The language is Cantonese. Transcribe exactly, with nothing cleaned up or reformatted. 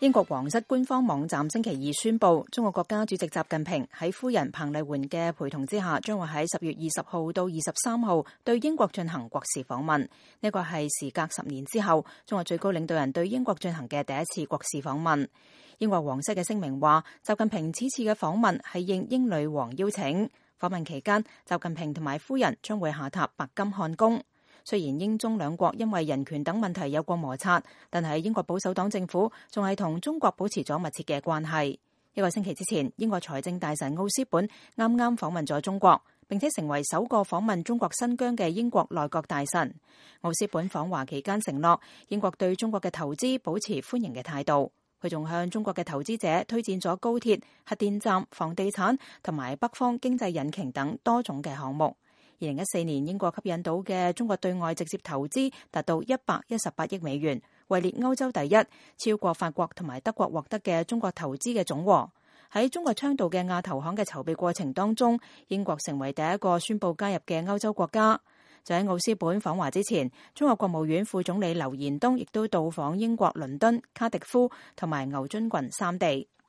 英國皇室官方網站星期二宣布，中國國家主席習近平喺夫人彭麗媛嘅陪同之下，將會喺十月二十號到二十三號對英國進行國事訪問。呢個係時隔十年之後，中國最高領導人對英國進行嘅第一次國事訪問。英國皇室嘅聲明話，習近平此次嘅訪問係應英女王邀請。訪問期間，習近平同埋夫人將會下榻白金漢宮。雖然英中兩國因為人權等問題有過摩擦，但係英國保守黨政府仲係同中國保持咗密切嘅關係。一個星期之前，英國財政大臣奧斯本啱啱訪問咗中國，並且成為首個訪問中國新疆嘅英國內閣大臣。奧斯本訪華期間承諾，英國對中國嘅投資保持歡迎嘅態度。佢仲向中國嘅投資者推薦咗高鐵、核電站、房地產同埋北方經濟引擎等多種嘅項目。二零一四年，英國吸引到嘅中國對外直接投資達到一百一十八億美元，位列歐洲第一，超過法國同埋德國獲得嘅中國投資嘅總和。喺中國倡導嘅亞投行嘅籌備過程當中，英國成為第一個宣布加入嘅歐洲國家。就喺奧斯本訪華之前，中國國務院副總理劉延東亦都到訪英國倫敦、卡迪夫同埋牛津郡三地。